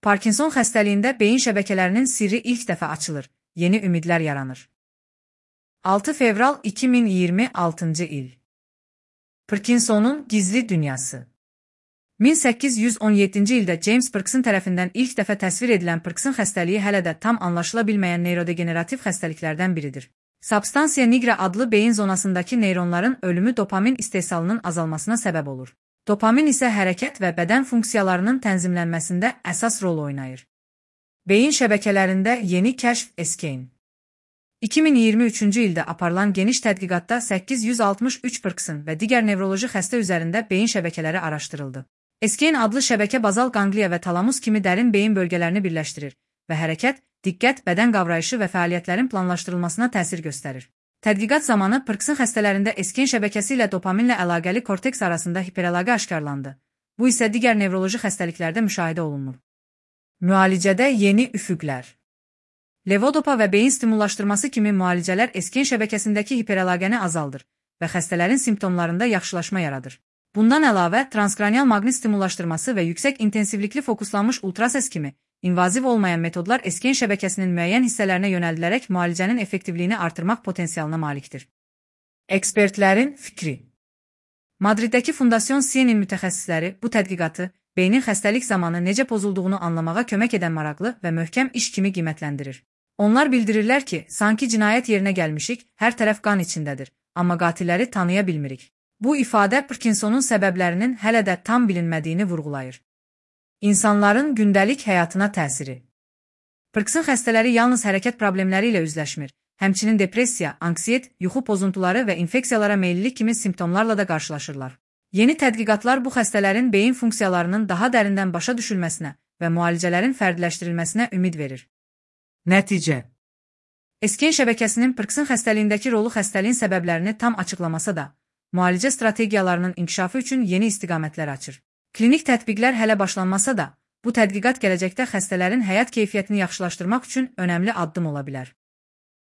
Parkinson xəstəliyində beyin şəbəkələrinin sirri ilk dəfə açılır, yeni ümidlər yaranır. 6 fevral 2026-cı il. Parkinsonun gizli dünyası. 1817-ci ildə James Parkinson tərəfindən ilk dəfə təsvir edilən Parkinson xəstəliyi hələ də tam anlaşıla bilməyən neyrodegenerativ xəstəliklərdən biridir. Substantia nigra adlı beyin zonasındakı neyronların ölümü dopamin istehsalının azalmasına səbəb olur. Dopamin isə hərəkət və bədən funksiyalarının tənzimlənməsində əsas rol oynayır. Beyin şəbəkələrində yeni kəşf Eskane. 2023-cü ildə aparılan geniş tədqiqatda 863 Parkinson və digər nevroloji xəstə üzərində beyin şəbəkələri araşdırıldı. Eskane adlı şəbəkə bazal qangliya və talamus kimi dərin beyin bölgələrini birləşdirir və hərəkət, diqqət, bədən qavrayışı və fəaliyyətlərin planlaşdırılmasına təsir göstərir. Tədqiqat zamanı Parkinson xəstələrində Eskane şəbəkəsi ilə dopaminlə əlaqəli korteks arasında hiperəlaqə aşkarlandı. Bu isə digər nevroloji xəstəliklərdə müşahidə olunur. Müalicədə yeni üfüqlər. Levodopa və beyin stimullaşdırması kimi müalicələr Eskane şəbəkəsindəki hiperəlaqəni azaldır və xəstələrin simptomlarında yaxşılaşma yaradır. Bundan əlavə, transkranial maqnit stimullaşdırması və yüksək intensivlikli fokuslanmış ultrases kimi invaziv olmayan metodlar Eskane şəbəkəsinin müəyyən hissələrinə yönəldilərək müalicənin effektivliyini artırmaq potensialına malikdir. Ekspertlərin fikri. Madriddəki Fundasion Sienin mütəxəssisləri bu tədqiqatı beynin xəstəlik zamanı necə pozulduğunu anlamağa kömək edən maraqlı və möhkəm iş kimi qiymətləndirir. Onlar bildirirlər ki, sanki cinayət yerinə gəlmişik, hər tərəf qan içindədir, amma qatilləri tanıya bilmirik. Bu ifadə Parkinsonun səbəblərinin hələ də tam bilinmədiyini vurğulayır. İnsanların gündəlik həyatına təsiri. Parkinson xəstələri yalnız hərəkət problemləri ilə üzləşmir, həmçinin depressiya, anksiyet, yuxu pozuntuları və infeksiyalara meyillilik kimi simptomlarla da qarşılaşırlar. Yeni tədqiqatlar bu xəstələrin beyin funksiyalarının daha dərindən başa düşülməsinə və müalicələrin fərdiləşdirilməsinə ümid verir. Nəticə. Eskane şəbəkəsinin Parkinson xəstəliyindəki rolu xəstəliyin səbəblərini tam açıqlamasa da, müalicə strategiyalarının inkişafı üçün yeni istiqamətlər açır. Klinik tətbiqlər hələ başlanmasa da, bu tədqiqat gələcəkdə xəstələrin həyat keyfiyyətini yaxşılaşdırmaq üçün önəmli addım ola bilər.